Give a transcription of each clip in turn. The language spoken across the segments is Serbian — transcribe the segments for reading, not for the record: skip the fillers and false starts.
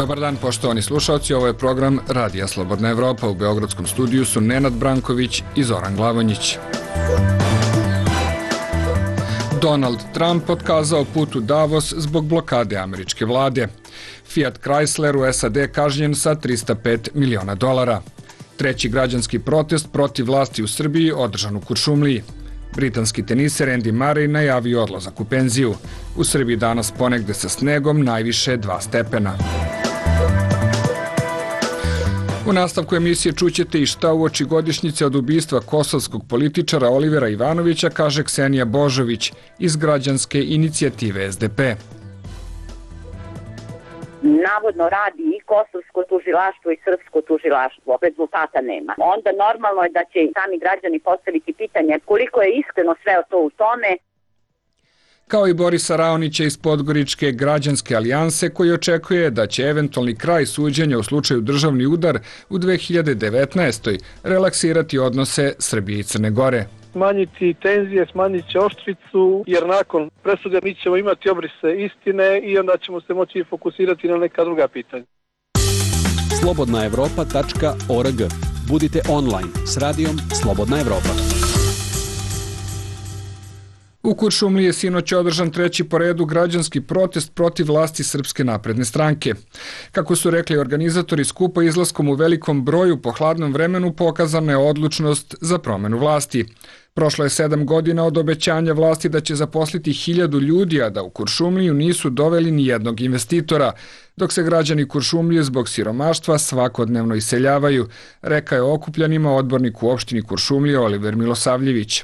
Dobar dan, poštovani slušalci, ovo je program Radija Slobodna Evropa. U Beogradskom studiju su Nenad Branković i Zoran Glavonjić. Donald Trump otkazao put u Davos zbog blokade američke vlade. Fiat Chrysler u SAD kažnjen sa $305 miliona. Treći građanski protest protiv vlasti u Srbiji održan u Kuršumliji. Britanski teniser Andy Murray najavio odlazak u penziju. U Srbiji danas ponegde sa snegom, najviše 2 stepena. U nastavku emisije čućete i šta uoči godišnjice od ubistva kosovskog političara Olivera Ivanovića kaže Ksenija Božović iz građanske inicijative SDP. Navodno radi i kosovsko tužilaštvo i srpsko tužilaštvo. Rezultata nema. Onda normalno je da će sami građani postaviti pitanje koliko je iskreno sve to u tome. Kao i Borisa Raonića iz Podgoričke građanske alijanse koji očekuje da će eventualni kraj suđenja u slučaju državni udar u 2019. relaksirati odnose Srbije i Crne Gore. Smanjiti tenzije, smanjit će oštricu, jer nakon presude mi ćemo imati obrise istine i onda ćemo se moći fokusirati na neka druga pitanja. slobodnaevropa.org. Budite online s radijom Slobodna Evropa. U Kuršumliji je sinoć održan treći po redu građanski protest protiv vlasti Srpske napredne stranke. Kako su rekli organizatori skupa, izlaskom u velikom broju po hladnom vremenu pokazana je odlučnost za promenu vlasti. Prošlo je 7 godina od obećanja vlasti da će zaposliti 1000 ljudi, a da u Kuršumliju nisu doveli ni jednog investitora, dok se građani Kuršumlije zbog siromaštva svakodnevno iseljavaju, rekao je okupljanima odbornik u opštini Kuršumlije Oliver Milosavljević.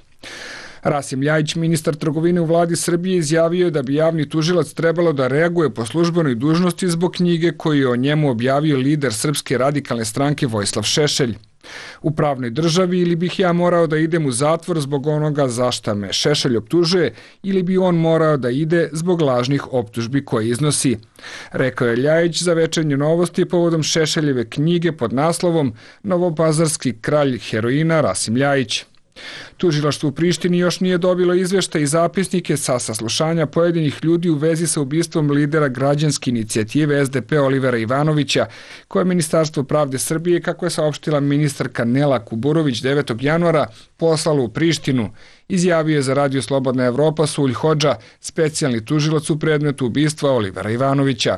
Rasim Ljajić, ministar trgovine u vladi Srbije, izjavio je da bi javni tužilac trebalo da reaguje po službenoj dužnosti zbog knjige koju je o njemu objavio lider Srpske radikalne stranke Vojislav Šešelj. U pravnoj državi ili bih ja morao da idem u zatvor zbog onoga za šta me Šešelj optužuje ili bi on morao da ide zbog lažnih optužbi koje iznosi, rekao je Ljajić za Večernje novosti povodom Šešeljeve knjige pod naslovom Novopazarski kralj heroina Rasim Ljajić. Tužilaštvo u Prištini još nije dobilo izveštaj i zapisnike sa saslušanja pojedinih ljudi u vezi sa ubistvom lidera građanske inicijative SDP Olivera Ivanovića, koje je Ministarstvo pravde Srbije, kako je saopštila ministarka Nela Kuburović 9. januara, poslalo u Prištinu, izjavio je za Radio Slobodna Evropa Sulj Hodža, specijalni tužilac u predmetu ubistva Olivera Ivanovića.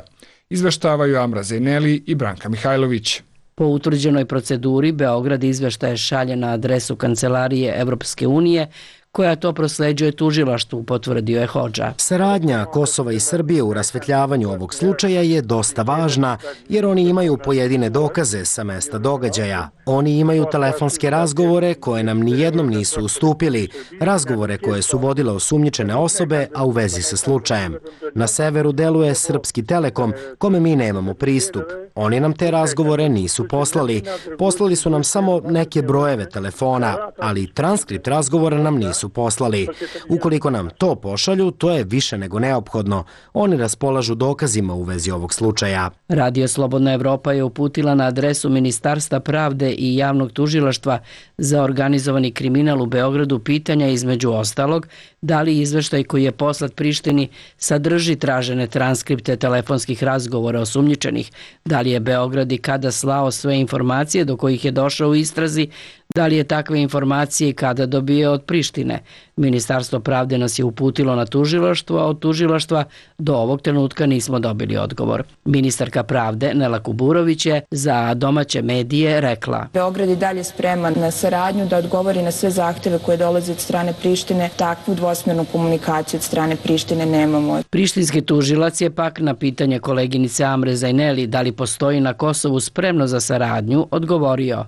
Izveštavaju Amra Zejneli i Branka Mihajlović. Po utvrđenoj proceduri, Beograd izveštaje šalje na adresu Kancelarije Evropske unije, koja to prosleđuje tužilaštvu, potvrdio je Hodža. Saradnja Kosova i Srbije u rasvetljavanju ovog slučaja je dosta važna, jer oni imaju pojedine dokaze sa mesta događaja. Oni imaju telefonske razgovore koje nam nijednom nisu ustupili, razgovore koje su vodile osumnjičene osobe, a u vezi sa slučajem. Na severu deluje Srpski Telekom, kome mi nemamo pristup. Oni nam te razgovore nisu poslali. Poslali su nam samo neke brojeve telefona, ali transkript razgovora nam nisu poslali. Ukoliko nam to pošalju, to je više nego neophodno. Oni raspolažu dokazima u vezi ovog slučaja. Radio Slobodna Evropa je uputila na adresu Ministarstva pravde i javnog tužilaštva za organizovani kriminal u Beogradu pitanja između ostalog da li izveštaj koji je poslat Prištini sadrži tražene transkripte telefonskih razgovora osumnjičenih, da li je Beograd i kada slao sve informacije do kojih je došao u istrazi, da li je takve informacije i kada dobio od Prištine. Ministarstvo pravde nas je uputilo na tužilaštvo, a od tužilaštva do ovog trenutka nismo dobili odgovor. Ministarka pravde Nela Kuburović je za domaće medije rekla: Beograd je dalje spreman na saradnju da odgovori na sve zahteve koje dolaze od strane Prištine. Takvu dvosmernu komunikaciju od strane Prištine nemamo. Prištinski tužilac je pak na pitanje koleginice Amre Zajneli da li postoji na Kosovu spremno za saradnju odgovorio: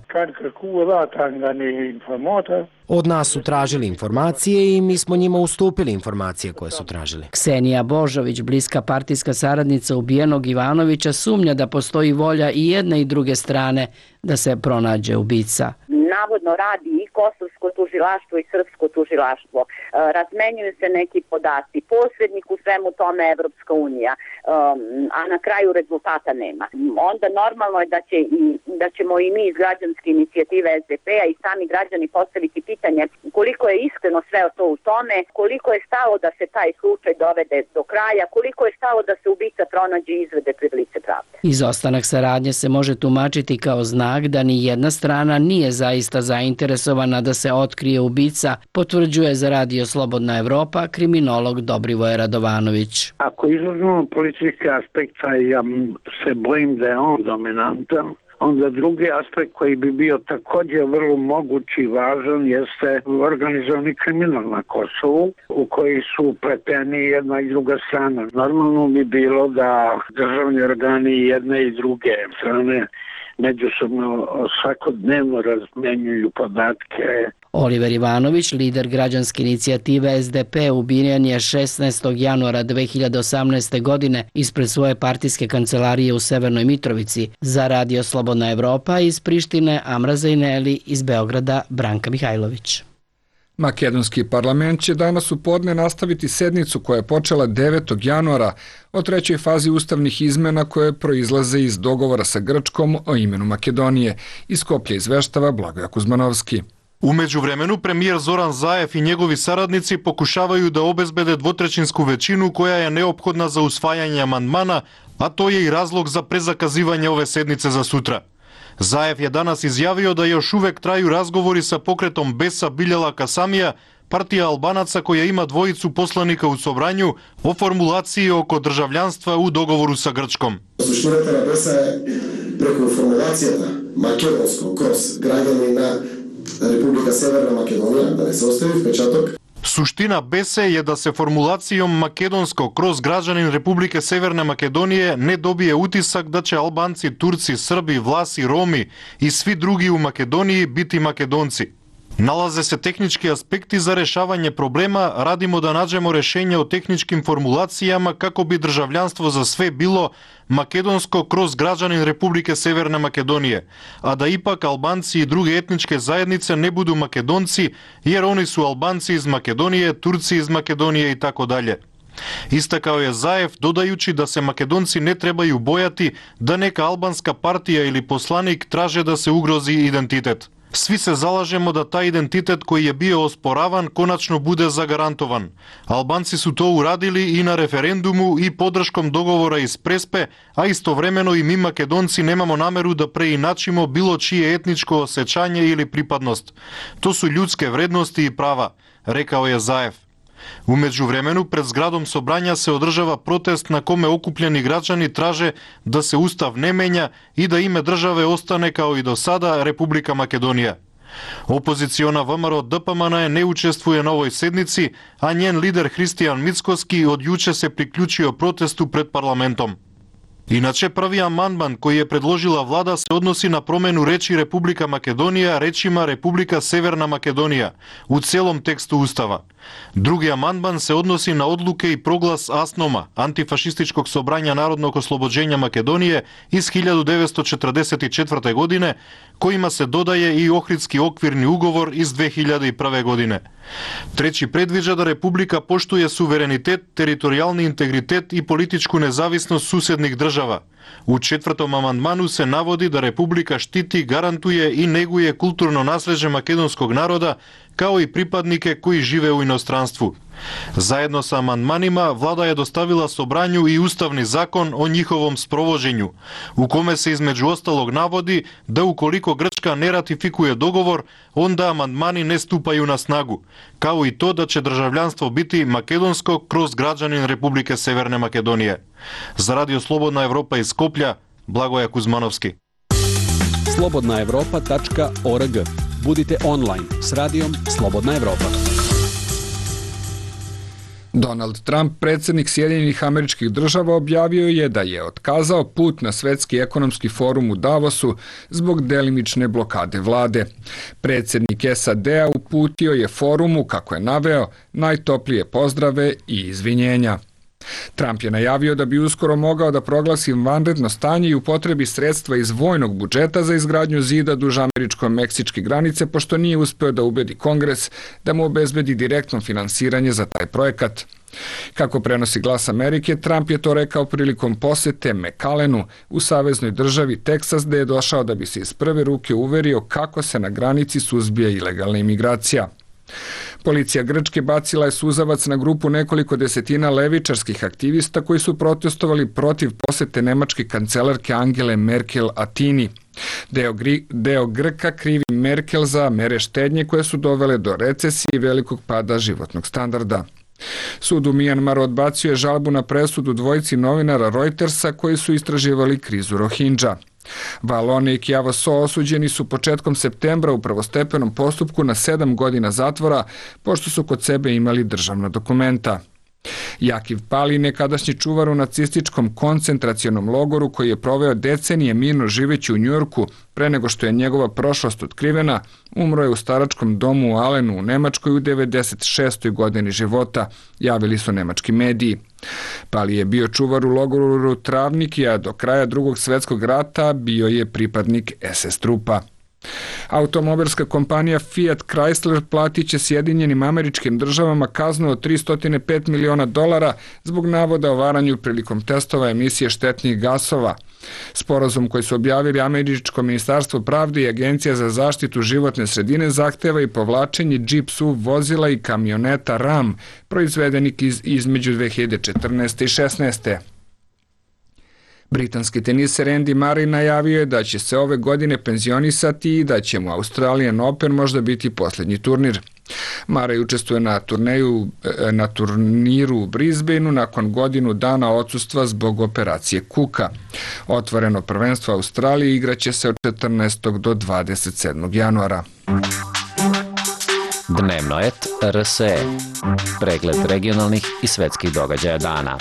Od nas su tražili informacije i mi smo njima ustupili informacije koje su tražili. Ksenija Božović, bliska partijska saradnica ubijenog Ivanovića, sumnja da postoji volja i jedne i druge strane da se pronađe ubica. navodno radi i kosovsko tužilaštvo i srpsko tužilaštvo. Razmenjuju se neki podaci, posrednik u svemu tome Evropska unija, a na kraju rezultata nema. Onda normalno je da ćemo i mi iz građanske inicijative SDP-a i sami građani postaviti pitanje koliko je iskreno sve to u tome, koliko je stalo da se taj slučaj dovede do kraja, koliko je stalo da se ubica pronađe i izvede pred lice pravde. Izostanak saradnje se može tumačiti kao znak da ni jedna strana nije zaista zainteresovana da se otkrije ubica, potvrđuje za Radio Slobodna Evropa kriminolog Dobrivoje Radovanović. Ako izuzmemo politički aspekt, ja se bojim da je on dominantan. Onda drugi aspekt koji bi bio također vrlo moguć i važan jeste organizovani kriminal na Kosovu u koji su upleteni jedna i druga strana. Normalno bi bilo da državni organi jedne i druge strane međusobno svakodnevno razmjenjuju podatke. Oliver Ivanović, lider građanske inicijative SDP, ubijen je 16. januara 2018. godine ispred svoje partijske kancelarije u Severnoj Mitrovici. Za Radio Slobodna Evropa iz Prištine, Amra Zajneli, iz Beograda, Branka Mihajlović. Makedonski parlament će danas u podne nastaviti sednicu koja je počela 9. januara o trećoj fazi ustavnih izmena koje proizlaze iz dogovora sa Grčkom o imenu Makedonije. Iz Skoplja izveštava Blagoja Kuzmanovski. U međuvremenu premijer Zoran Zaev i njegovi saradnici pokušavaju da obezbede dvotrećinsku većinu koja je neophodna za usvajanje amandmana, a to je i razlog za prezakazivanje ove sednice za sutra. Zaev je danas izjavio da još uvek traju razgovori sa pokretom Besa Biljala Kasamija, partija Albanaca koja ima dvojicu poslanika u Sobranju, o formulaciji oko državljanstva u dogovoru sa Grčkom. Suština Besa je preko formulacijata makedonsko kroz građanina Republika Severna Makedonija, da ne se ostavi vpečatok. Suština Bese je da se formulacijom makedonsko kroz građanin Republike Severne Makedonije ne dobije utisak da će Albanci, Turci, Srbi, Vlasi, Romi i svi drugi u Makedoniji biti Makedonci. Nalaze se tehnički aspekti za rešavanje problema, radimo da nađemo rešenje o tehničkim formulacijama kako bi državljanstvo za sve bilo makedonsko kroz građanin Republike Severne Makedonije, a da ipak Albanci i druge etničke zajednice ne budu Makedonci, jer oni su Albanci iz Makedonije, Turci iz Makedonije i tako dalje. Istakao je Zaev dodajući da se Makedonci ne trebaju bojati da neka albanska partija ili poslanik traže da se ugrozi identitet. Svi se zalažemo da taj identitet koji je bio osporavan konačno bude zagarantovan. Albanci su to uradili i na referendumu i podrškom dogovora iz Prespe, a istovremeno i mi Makedonci nemamo nameru da preinačimo bilo čije etničko osjećanje ili pripadnost. To su ljudske vrednosti i prava, rekao je Zaev. U međuvremenu pred zgradom Sobranja se održava protest na kome okupljeni građani traže da se ustav ne menja i da ime države ostane kao i do sada Republika Makedonija. Opoziciona VMRO DPMN ne učestvuje na ovoj sednici, a njen lider Hristijan Mickoski od juče se priključio protestu pred parlamentom. Inače, prvi amandman koji je predložila vlada se odnosi na promenu reči Republika Makedonija rečima Republika Severna Makedonija u celom tekstu Ustava. Drugi amandman se odnosi na odluke i proglas ASNOM-a, Antifašističkog sobranja narodnog oslobođenja Makedonije iz 1944. godine, kojima se dodaje i Ohridski okvirni ugovor iz 2001. godine. Treći predviđa da Republika poštuje suverenitet, teritorijalni integritet i političku nezavisnost susjednih država. U četvrtom amandmanu se navodi da Republika štiti, garantuje i neguje kulturno nasleđe makedonskog naroda kao i pripadnike koji žive u inostranstvu. Zajedno sa amandmanima vlada je dostavila Sobranju i ustavni zakon o njihovom sprovođenju, u kome se između ostalog navodi da ukoliko Grčka ne ratifikuje dogovor, onda amandmani ne stupaju na snagu, kao i to da će državljanstvo biti makedonsko kroz građanin Republike Severne Makedonije. Za Radio Slobodna Evropa iz Skoplja, Blagoja Kuzmanovski. slobodnaevropa.org. Budite online s Radijom Slobodna Evropa. Donald Trump, predsjednik Sjedinjenih Američkih Država, objavio je da je otkazao put na Svetski ekonomski forum u Davosu zbog delimične blokade vlade. Predsjednik SAD-a uputio je forumu, kako je naveo, najtoplije pozdrave i izvinjenja. Trump je najavio da bi uskoro mogao da proglasi vanredno stanje i upotrebi sredstva iz vojnog budžeta za izgradnju zida duž američko-meksičke granice, pošto nije uspeo da ubedi Kongres da mu obezbedi direktno finansiranje za taj projekat. Kako prenosi Glas Amerike, Trump je to rekao prilikom posete McAllenu u saveznoj državi Teksas, gde je došao da bi se iz prve ruke uverio kako se na granici suzbija ilegalna imigracija. Policija Grčke bacila je suzavac na grupu nekoliko desetina levičarskih aktivista koji su protestovali protiv posete nemačke kancelarke Angele Merkel Atini. Deo Grka krivi Merkel za mere štednje koje su dovele do recesije i velikog pada životnog standarda. Sud u Mijanmaru odbacio je žalbu na presudu dvojici novinara Reutersa koji su istraživali krizu Rohingya. Valone i Kjavo So osuđeni su početkom septembra u prvostepenom postupku na 7 godina zatvora, pošto su kod sebe imali državna dokumenta. Jakiv Pali, nekadašnji čuvar u nacističkom koncentracionom logoru koji je proveo decenije mirno živeći u Njujorku pre nego što je njegova prošlost otkrivena, umro je u staračkom domu u Alenu u Nemačkoj u 96. godini života, javili su nemački mediji. Pali je bio čuvar u logoru Travniki, a do kraja Drugog svjetskog rata bio je pripadnik SS trupa. Automobilska kompanija Fiat Chrysler platit će Sjedinjenim Američkim Državama kaznu od $305 miliona zbog navoda o varanju prilikom testova emisije štetnih gasova. Sporazum koji su objavili Američko ministarstvo pravde i Agencija za zaštitu životne sredine zahteva i povlačenje Jeep SUV vozila i kamioneta Ram proizvedenih između 2014. i 2016. Britanski teniser Andy Murray najavio je da će se ove godine penzionisati i da će mu Australian Open možda biti posljednji turnir. Murray učestvuje na turniru u Brisbaneu nakon godinu dana odsustva zbog operacije kuka. Otvoreno prvenstvo Australije igraće se od 14. do 27. januara. Dnevno et RSE. Pregled regionalnih i svetskih događaja dana.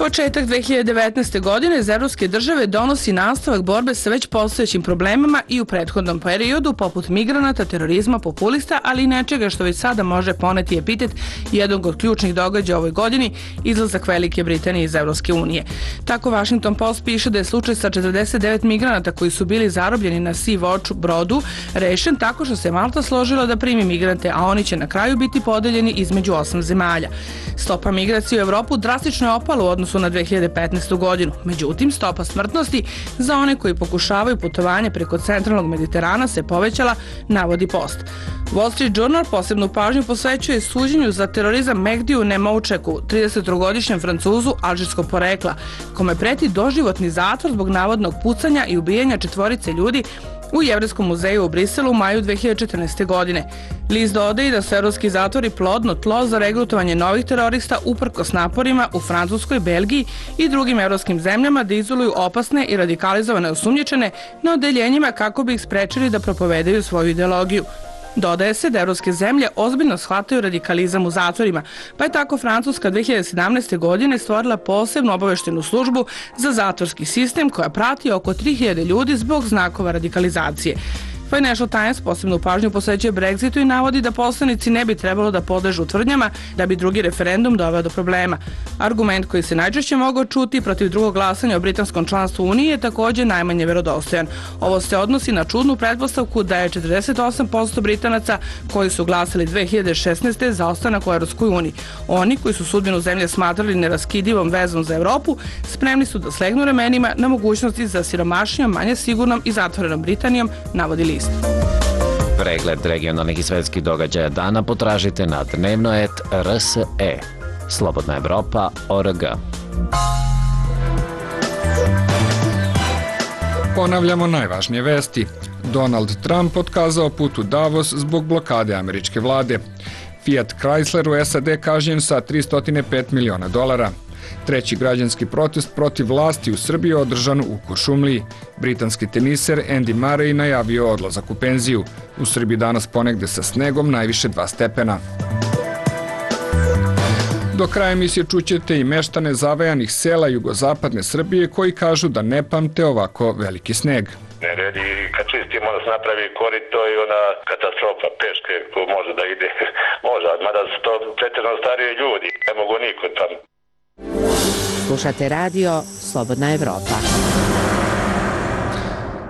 Početak 2019. godine iz evropske države donosi nastavak borbe sa već postojećim problemima i u prethodnom periodu, poput migranata, terorizma, populista, ali i nečega što već sada može poneti epitet jednog od ključnih događaja ovoj godini, izlazak Velike Britanije iz Evropske unije. Tako Washington Post piše da je slučaj sa 49 migranata koji su bili zarobljeni na Sea-Watch brodu rešen tako što se Malta složila da primi migrante, a oni će na kraju biti podeljeni između 8 zemalja. Stopa migracije u Evropu drastično je opala u odnosu na 2015. godinu. Međutim, stopa smrtnosti za one koji pokušavaju putovanje preko centralnog Mediterana se povećala, navodi Post. Wall Street Journal posebnu pažnju posvećuje suđenju za terorizam Mehdiju Nemoučeku, 33-godišnjem Francuzu alžirskog porekla, kome preti doživotni zatvor zbog navodnog pucanja i ubijanja 4 ljudi u Jevrejskom muzeju u Briselu u maju 2014. godine. List dodaje da su evropski zatvori plodno tlo za regrutovanje novih terorista uprkos naporima u Francuskoj, Belgiji i drugim evropskim zemljama da izoluju opasne i radikalizovane osumnjičene na odeljenjima kako bi ih sprečili da propovedaju svoju ideologiju. Dodaje se da evropske zemlje ozbiljno shvataju radikalizam u zatvorima, pa je tako Francuska 2017. godine stvorila posebnu obaveštenu službu za zatvorski sistem koja prati oko 3000 ljudi zbog znakova radikalizacije. Financial Times posebnu pažnju posvećuje Brexitu i navodi da poslanici ne bi trebalo da podležu tvrdnjama da bi drugi referendum doveo do problema. Argument koji se najčešće mogao čuti protiv drugog glasanja o britanskom članstvu Unije je također najmanje verodostojan. Ovo se odnosi na čudnu pretpostavku da je 48% Britanaca koji su glasali 2016. za ostanak u Evropskoj uniji. Oni koji su sudbinu zemlje smatrali neraskidivom vezom za Evropu, spremni su da slegnu ramenima na mogućnosti za siromašnijom, manje sigurnom i zatvorenom Britanijom, navodi list. Pregled regionalnih i svetskih događaja dana potražite na dnevno et RSE. Slobodna Evropa.org. Ponavljamo najvažnije vesti. Donald Trump otkazao put u Davos zbog blokade američke vlade. Fiat Chrysler u SAD kažnjen sa $305 miliona. Treći građanski protest protiv vlasti u Srbiji održan u Kuršumliji. Britanski teniser Andy Murray najavio odlazak u penziju. U Srbiji danas ponegde sa snegom najviše 2 stepena. Do kraja emisije čućete i meštane zavajanih sela jugozapadne Srbije koji kažu da ne pamte ovako veliki sneg. Nered i kad čistimo onda se napravi korito i ona katastrofa peške ko može da ide, može, mada su to pretjerano stariji ljudi, ne mogu niko tamo. Slušate radio Slobodna Evropa.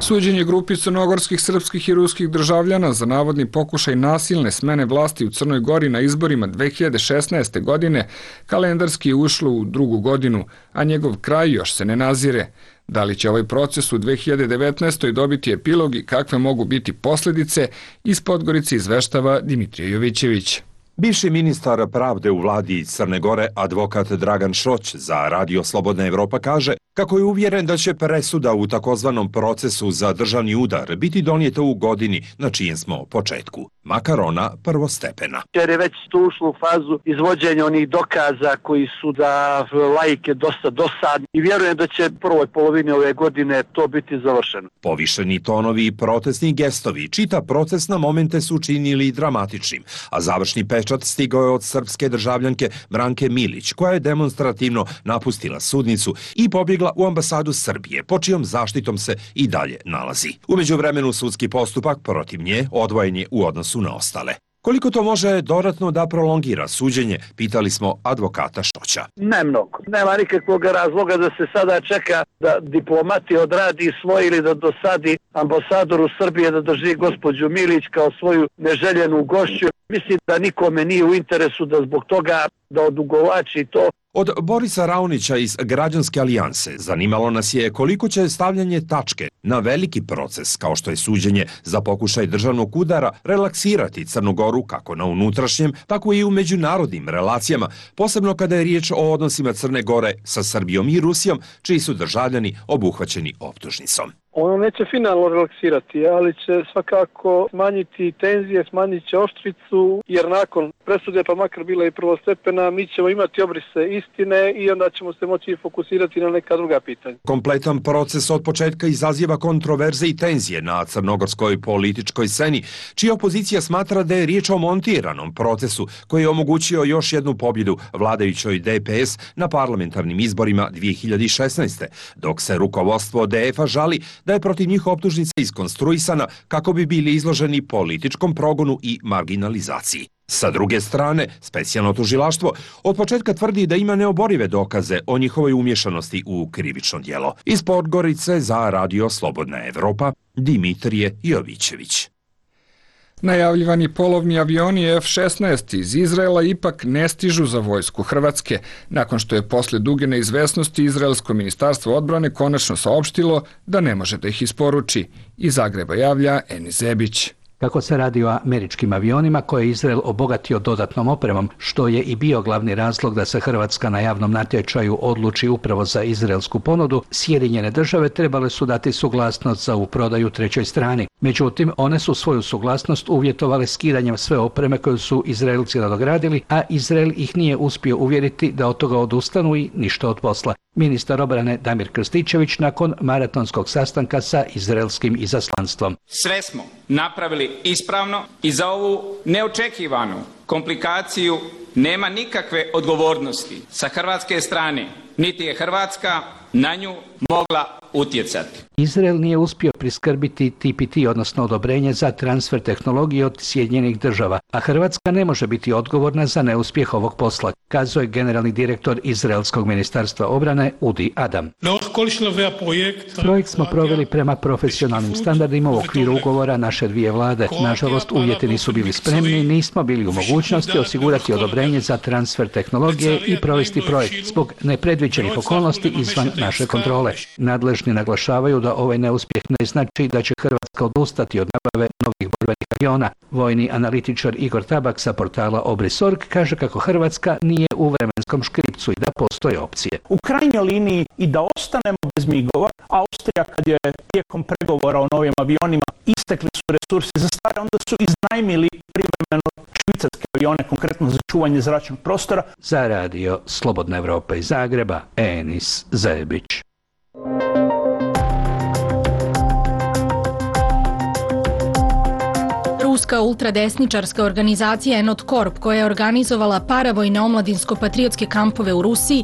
Suđenje grupi crnogorskih, srpskih i ruskih državljana za navodni pokušaj nasilne smene vlasti u Crnoj Gori na izborima 2016. godine kalendarski je ušlo u drugu godinu, a njegov kraj još se ne nazire. Da li će ovaj proces u 2019. dobiti epilog i kakve mogu biti posledice, iz Podgorice izveštava Dimitrije Jovićević. Bivši ministar pravde u vladi Crne Gore, advokat Dragan Šroć za Radio Slobodna Evropa kaže kako je uvjeren da će presuda u takozvanom procesu za državni udar biti donijeta u godini na čijem smo početku, makar ona prvostepena. Jer je već tu ušlo u fazu izvođenja onih dokaza koji su da laike dosta dosadni i vjerujem da će prvoj polovini ove godine to biti završeno. Povišeni tonovi i protestni gestovi čita proces na momente su činili dramatičnim, a završni pečat stigao je od srpske državljanke Branke Milić, koja je demonstrativno napustila sudnicu i pobjegla u ambasadu Srbije, po čijom zaštitom se i dalje nalazi. U međuvremenu sudski postupak protiv nje odvojen je u odnosu na ostale. Koliko to može dodatno da prolongira suđenje, pitali smo advokata Šoća. Ne mnogo. Nema nikakvog razloga da se sada čeka da diplomati odradi svoje ili da dosadi ambasadoru Srbije da drži gospođu Milić kao svoju neželjenu gošću. Mislim da nikome nije u interesu da zbog toga da odugovlači to. Od Borisa Raonića iz Građanske alijanse zanimalo nas je koliko će stavljanje tačke na veliki proces, kao što je suđenje za pokušaj državnog udara, relaksirati Crnu Goru kako na unutrašnjem, tako i u međunarodnim relacijama, posebno kada je riječ o odnosima Crne Gore sa Srbijom i Rusijom, čiji su državljani obuhvaćeni optužnicom. Ono neće finalno relaksirati, ali će svakako smanjiti tenzije, smanjit će oštricu, jer nakon presude, pa makar bila i prvostepena, mi ćemo imati obrise istine i onda ćemo se moći fokusirati na neka druga pitanja. Kompletan proces od početka izaziva kontroverze i tenzije na crnogorskoj političkoj sceni, čija opozicija smatra da je riječ o montiranom procesu koji je omogućio još jednu pobjedu vladajućoj DPS na parlamentarnim izborima 2016. dok se rukovodstvo DF-a žali da je protiv njih optužnica iskonstruisana kako bi bili izloženi političkom progonu i marginalizaciji. Sa druge strane, specijalno tužilaštvo od početka tvrdi da ima neoborive dokaze o njihovoj umješanosti u krivično djelo. Iz Podgorice za Radio Slobodna Evropa, Dimitrije Jovićević. Najavljivani polovni avioni F-16 iz Izraela ipak ne stižu za vojsku Hrvatske, nakon što je posle duge neizvesnosti Izraelsko ministarstvo odbrane konačno saopštilo da ne može da ih isporuči. Iz Zagreba javlja Enis Zebić. Kako se radi o američkim avionima koje je Izrael obogatio dodatnom opremom, što je i bio glavni razlog da se Hrvatska na javnom natječaju odluči upravo za izraelsku ponudu, Sjedinjene države trebale su dati suglasnost za ovu prodaju trećoj strani. Međutim, one su svoju suglasnost uvjetovale skidanjem sve opreme koju su Izraelci nadogradili, a Izrael ih nije uspio uvjeriti da od toga odustanu i ništa od posla. Ministar obrane Damir Krstičević nakon maratonskog sastanka sa izraelskim izaslanstvom. Sve smo napravili ispravno i za ovu neočekivanu komplikaciju nema nikakve odgovornosti sa hrvatske strane, niti je Hrvatska na nju mogla utjecati. Izrael nije uspio priskrbiti TPT, odnosno odobrenje za transfer tehnologije od Sjedinjenih država, a Hrvatska ne može biti odgovorna za neuspjeh ovog posla, kazuje generalni direktor Izraelskog ministarstva obrane Udi Adam. Projekt smo proveli prema profesionalnim standardima u okviru ugovora naše dvije vlade. Nažalost, uvjeti nisu bili spremni, nismo bili u mogućnosti osigurati odobrenje za transfer tehnologije i provesti projekt zbog nepredviđenih okolnosti izvan naše kontrole. Nadležni naglašavaju da ovaj neuspjeh ne znači da će Hrvatska odustati od nabave novih borbenih aviona. Vojni analitičar Igor Tabak sa portala Obris.org kaže kako Hrvatska nije u vremenskom škripcu i da postoje opcije. U krajnjoj liniji i da ostanemo bez migova, Austrija kad je tijekom pregovora o novim avionima istekli su resursi za stare, onda su iznajmili privremeno švicarske avione, konkretno za čuvanje zračnog prostora. Za Radio Slobodna Evropa iz Zagreba, Enis Zebić. Ruska ruska ultradesničarska organizacija Enot Corp, koja je organizovala paravojne omladinsko-patriotske kampove u Rusiji,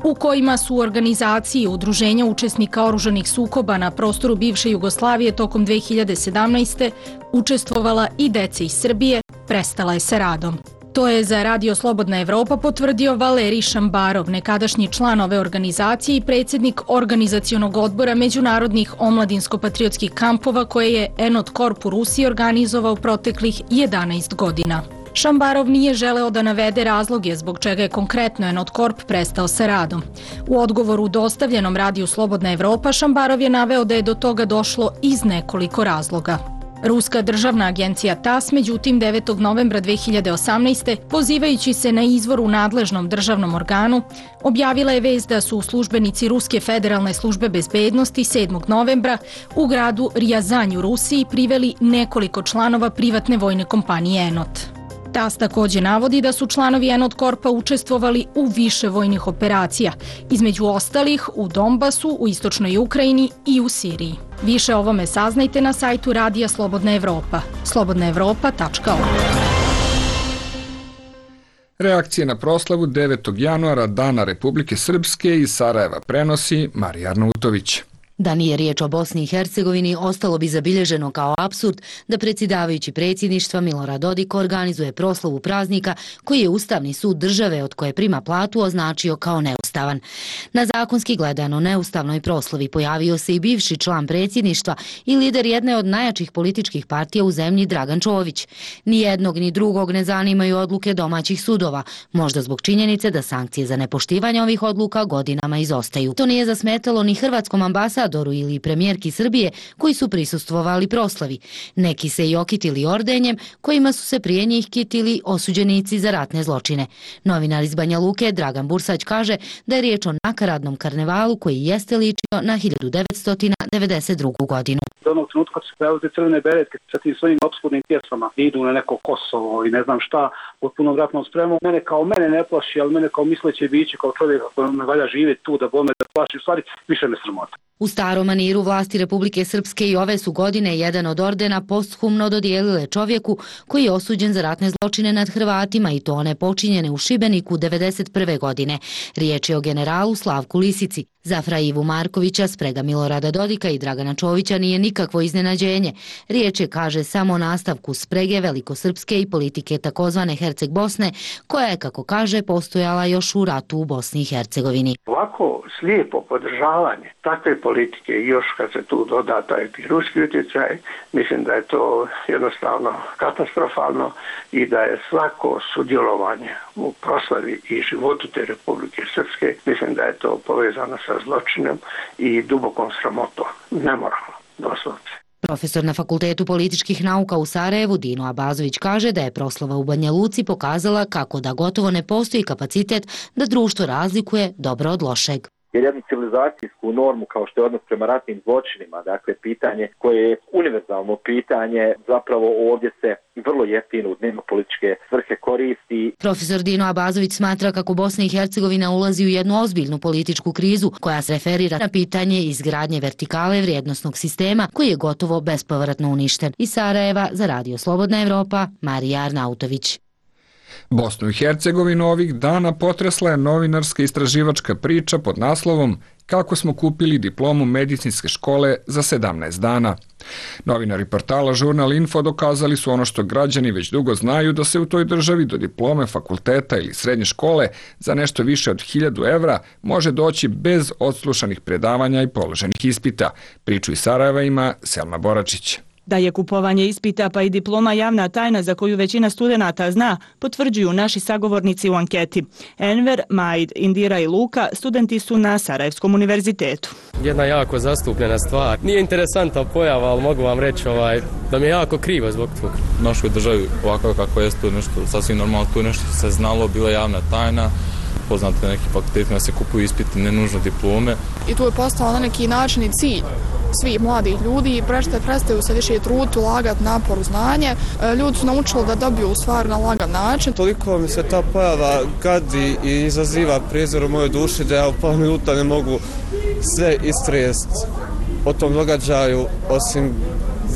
u kojima su u organizaciji udruženja učesnika oružanih sukoba na prostoru bivše Jugoslavije tokom 2017. učestvovala i deca iz Srbije, prestala je sa radom. To je za Radio Slobodna Evropa potvrdio Valerij Šambarov, nekadašnji član ove organizacije i predsjednik organizacionog odbora međunarodnih omladinsko-patriotskih kampova koje je Enot Corp u Rusiji organizovao proteklih 11 godina. Šambarov nije želeo da navede razloge zbog čega je konkretno Enot Corp prestao sa radom. U odgovoru dostavljenom Radiju Slobodna Evropa Šambarov je naveo da je do toga došlo iz nekoliko razloga. Ruska državna agencija TASS, međutim 9. novembra 2018. pozivajući se na izvor u nadležnom državnom organu, objavila je vest da su službenici Ruske federalne službe bezbednosti 7. novembra u gradu Rijazanj u Rusiji priveli nekoliko članova privatne vojne kompanije Enot. TASS takođe navodi da su članovi Enot Corpa učestvovali u više vojnih operacija, između ostalih u Donbasu, u istočnoj Ukrajini i u Siriji. Više o ovome saznajte na sajtu Radija Slobodna Evropa, slobodnaevropa.org. Reakcije na proslavu 9. januara Dana Republike Srpske iz Sarajeva prenosi Marija Arnautović. Da nije riječ o Bosni i Hercegovini, ostalo bi zabilježeno kao apsurd da predsjedavajući predsjedništva Milorad Dodik organizuje proslavu praznika koji je Ustavni sud države od koje prima platu označio kao neustavan. Na zakonski gledano neustavnoj proslavi pojavio se i bivši član predsjedništva i lider jedne od najjačih političkih partija u zemlji Dragan Čović. Ni jednog ni drugog ne zanimaju odluke domaćih sudova, možda zbog činjenice da sankcije za nepoštivanje ovih odluka godinama izostaju. To nije zasmetalo ni hrvatskom ambasadoru ili premijerki Srbije koji su prisustvovali proslavi. Neki se i okitili ordenjem kojima su se prije njih kitili osuđenici za ratne zločine. Novinar iz Banja Luke Dragan Bursać kaže da je riječ o nakaradnom karnevalu koji jeste ličio na 1992. godinu. Do onog trenutka kad se pojavili te crvene beretke sa tim svojim opskurnim pjesmama, idu na neko Kosovo i ne znam šta, pod punom ratnom spremom, mene ne plaši, ali mene kao misleće biće, kao čovjeka koji ne valja živjeti tu da bome da plaši, u stvari više me sramota. U starom maniru vlasti Republike Srpske i ove su godine jedan od ordena posthumno dodijelile čovjeku koji je osuđen za ratne zločine nad Hrvatima i to one počinjene u Šibeniku 1991. godine. Riječ je o generalu Slavku Lisici. Za Fra Ivu Markovića, sprega Milorada Dodika i Dragana Čovića nije nikakvo iznenađenje. Riječ je, kaže, samo o nastavku sprege velikosrpske i politike takozvane Herceg Bosne, koja je, kako kaže, postojala još u ratu u Bosni i Hercegovini. Ovako slijepo podržavanje takve politike i još kad se tu doda taj ruski utjecaj, mislim da je to jednostavno katastrofalno i da je svako sudjelovanje u proslavi i životu te Republike Srpske, mislim da je to povezano sa zločinom i dubokom sramotom, nemoralno, doslovce. Profesor na Fakultetu političkih nauka u Sarajevu Dino Abazović kaže da je proslava u Banja Luci pokazala kako da gotovo ne postoji kapacitet da društvo razlikuje dobro od lošeg. Jer jednu civilizacijsku normu kao što je odnos prema ratnim zločinima, dakle pitanje koje je univerzalno pitanje, zapravo ovdje se vrlo jeftino u dnevno političke svrhe koristi. Profesor Dino Abazović smatra kako Bosna i Hercegovina ulazi u jednu ozbiljnu političku krizu koja se referira na pitanje izgradnje vertikale vrijednosnog sistema koji je gotovo bespovratno uništen. Iz Sarajeva za Radio Slobodna Evropa, Marija Arnautović. Bosnu i Hercegovinu ovih dana potresla je novinarska istraživačka priča pod naslovom Kako smo kupili diplomu medicinske škole za 17 dana. Novinari portala Žurnal Info dokazali su ono što građani već dugo znaju, da se u toj državi do diplome fakulteta ili srednje škole za nešto više od 1000 evra može doći bez odslušanih predavanja i položenih ispita. Priču iz Sarajeva ima Selma Boračić. Da je kupovanje ispita pa i diploma javna tajna za koju većina studenata zna, potvrđuju naši sagovornici u anketi. Enver, Majd, Indira i Luka studenti su na Sarajevskom univerzitetu. Jedna jako zastupljena stvar. Nije interesantna pojava, ali mogu vam reći da mi je jako krivo zbog toga. U našoj državi ovako kako je to nešto sasvim normalno, tu nešto se znalo, bila javna tajna. Poznate neki fakultetima se kupuju ispiti, ne nužno diplome. I tu je postao na neki način i cilj svih mladih ljudi i prestaju se više truditi, ulagati napor u znanje. Ljudi su naučili da dobiju stvar na lagan način. Toliko mi se ta pojava gadi i izaziva prijezor u mojoj duši da ja u pola minuta ne mogu sve istrest o tom događaju, osim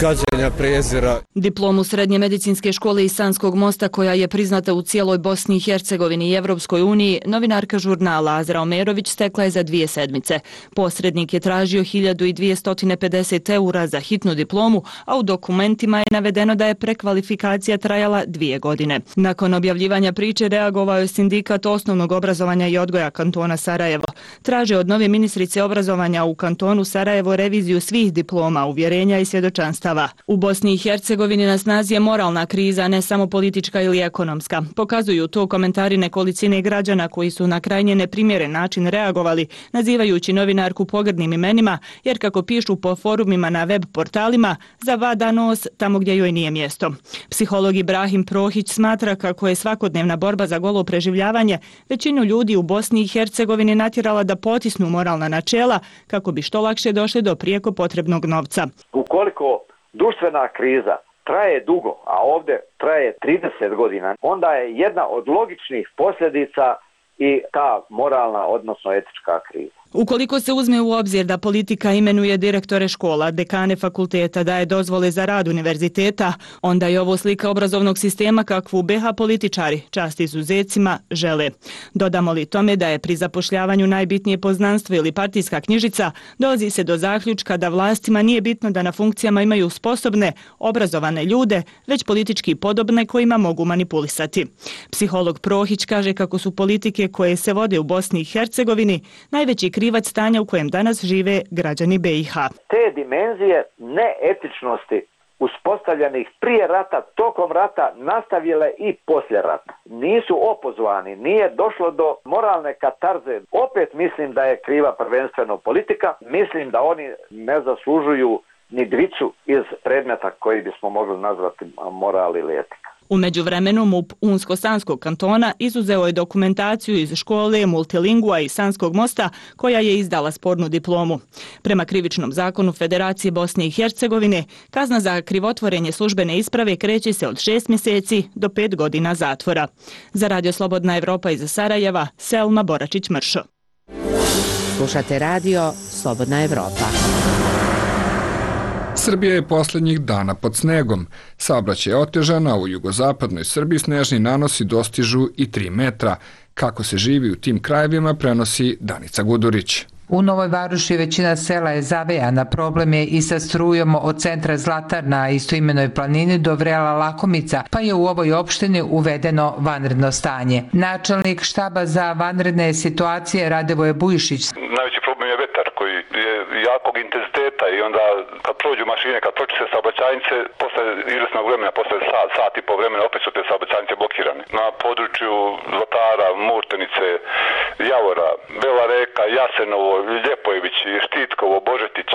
gađenja, prezira. Diplomu Srednje medicinske škole iz Sanskog mosta, koja je priznata u cijeloj Bosni i Hercegovini i Evropskoj uniji, novinarka žurnala Azra Omerović stekla je za 2 sedmice. Posrednik je tražio 1250 eura za hitnu diplomu, a u dokumentima je navedeno da je prekvalifikacija trajala 2 godine. Nakon objavljivanja priče reagovao je sindikat osnovnog obrazovanja i odgoja kantona Sarajevo. Traže od nove ministrice obrazovanja u kantonu Sarajevo reviziju svih diploma, uvjerenja i svjedočanstava. U Bosni i Hercegovini na snazi je moralna kriza, ne samo politička ili ekonomska. Pokazuju to komentari nekolicine građana koji su na krajnje neprimjeren način reagovali, nazivajući novinarku pogrdnim imenima, jer kako pišu po forumima na web portalima, zavada nos tamo gdje joj nije mjesto. Psiholog Ibrahim Prohić smatra kako je svakodnevna borba za golo preživljavanje većinu ljudi u Bosni i Hercegovini natjerala da potisnu moralna načela kako bi što lakše došli do prijeko potrebnog novca. Ukoliko društvena kriza traje dugo, a ovdje traje 30 godina, onda je jedna od logičnih posljedica i ta moralna, odnosno etička kriza. Ukoliko se uzme u obzir da politika imenuje direktore škola, dekane fakulteta, daje dozvole za rad univerziteta, onda je ovo slika obrazovnog sistema kakvu BiH političari, čast izuzecima, žele. Dodamo li tome da je pri zapošljavanju najbitnije poznanstvo ili partijska knjižica, dolazi se do zaključka da vlastima nije bitno da na funkcijama imaju sposobne, obrazovane ljude, već politički podobne kojima mogu manipulisati. Psiholog Prohić kaže kako su politike koje se vode u Bosni i Hercegovini najveći krivac stanja u kojem danas žive građani BiH. Te dimenzije neetičnosti uspostavljenih prije rata, tokom rata, nastavile i poslije rata. Nisu opozvani, nije došlo do moralne katarze. Opet mislim da je kriva prvenstveno politika. Mislim da oni ne zaslužuju ni dvicu iz predmeta koji bismo mogli nazvati moral ili etika. U međuvremenu MUP Unsko-Sanskog kantona izuzeo je dokumentaciju iz škole Multilingua i Sanskog mosta koja je izdala spornu diplomu. Prema krivičnom zakonu Federacije Bosne i Hercegovine, kazna za krivotvorenje službene isprave kreće se od 6 mjeseci do 5 godina zatvora. Za Radio Slobodna Evropa iz Sarajeva, Selma Boračić-Mršo. Slušate radio Slobodna Evropa. Srbija je posljednjih dana pod snegom. Saobraćaj je otežan, a u jugozapadnoj Srbiji snežni nanosi dostižu i 3 metra. Kako se živi u tim krajevima prenosi Danica Gudurić. U Novoj Varoši većina sela je zavejana, problem je i sa strujom od centra Zlatar na istoimenoj planini do Vrela Lakomica, pa je u ovoj opštini uvedeno vanredno stanje. Načelnik štaba za vanredne situacije Radevoje Bujišić. Najveći problem je vetar koji je jakog intenziteta i onda kad prođu mašine, kad pročise saobraćajnice, posle izvesnog vremena, posle sat i po vremena opet su te saobraćajnice blokirane. Na području Zlatara, Murtenice, Javora, Bela Reka, Jasenovo, Ljepojević, Štitkovo, Božetić,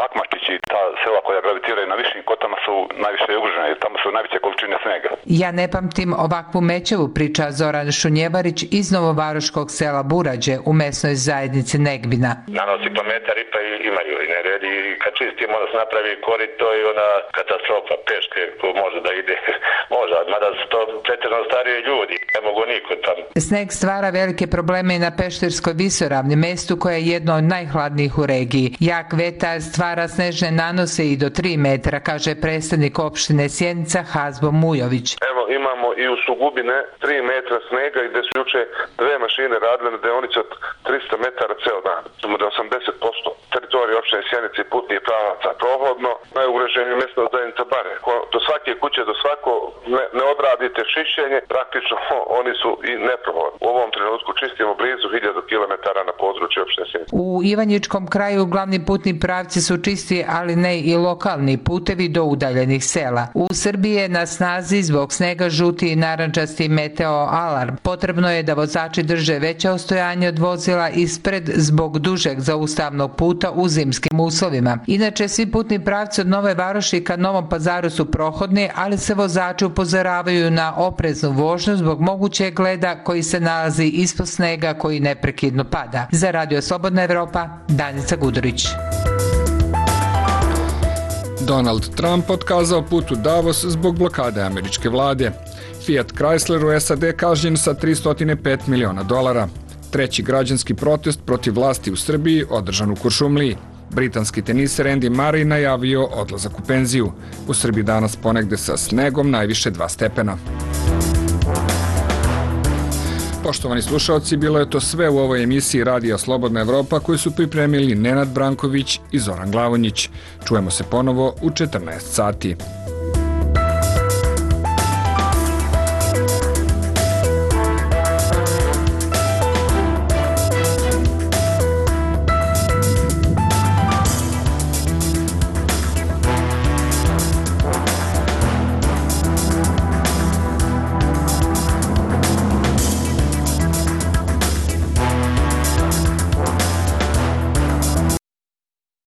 Akmačić i ta sela koja gravitiraju na višim kotama su najviše ugrožene, tamo su najveće količine snega. Ja ne pamtim ovakvu mećavu, priča Zoran Šunjevarić iz Novovaroškog sela Burađe u mesnoj zajednici Negbina. Nanosi kilometar i pa imaju i ne redi i kad čistimo da se napravi korito i ona katastrofa peške ko može da ide, može, mada su to pretjerano stariji ljudi, ne mogu niko tamo. Sneg stvara velike probleme i na Pešterskoj visoravni, mestu koje je jedno od najhladnijih u regiji. Jak vetar stvara snežne nanose i do 3 metra, kaže predstavnik opštine Sjenica Hazbo Mujović. Evo imamo i u Sugubine 3 metra snega i gde su juče 2 mašine radile na deonici od 300 metara ceo dan. Samo da 80% teritorije opštine Sjenice i putnih pravaca prohodno, najugroženije mjesto zajednica Bare. Do svake kuće, do svako ne odradite čišćenje, praktično oni su i neprohodni. U ovom trenutku čistimo blizu 1000 km na području opštine Sjenice. U Ivanjičkom kraju glavni putni pravci su čisti, ali ne i lokalni putevi do udaljenih sela. U Srbiji je na snazi zbog snega žuti i narandžasti meteo alarm. Potrebno je da vozači drže veće ostojanje od vozila ispred zbog dužeg zaustavnog puta u zimskim uslovima. Inače, svi putni pravci od Nove Varoši ka Novom Pazaru su prohodni, ali se vozači upozoravaju na opreznu vožnju zbog mogućeg leda koji se nalazi ispod snega koji neprekidno pada. Za Radio Slobodna Evropa, Danica Gudurić. Donald Trump otkazao put u Davos zbog blokade američke vlade. Fiat Chrysler u SAD kažnjen sa $305 miliona. Treći građanski protest protiv vlasti u Srbiji održan u Kuršumliji. Britanski teniser Andy Murray najavio odlazak u penziju. U Srbiji danas ponegde sa snegom, najviše 2 stepena. Poštovani slušalci, bilo je to sve u ovoj emisiji Radija Slobodna Evropa koju su pripremili Nenad Branković i Zoran Glavonjić. Čujemo se ponovo u 14 sati.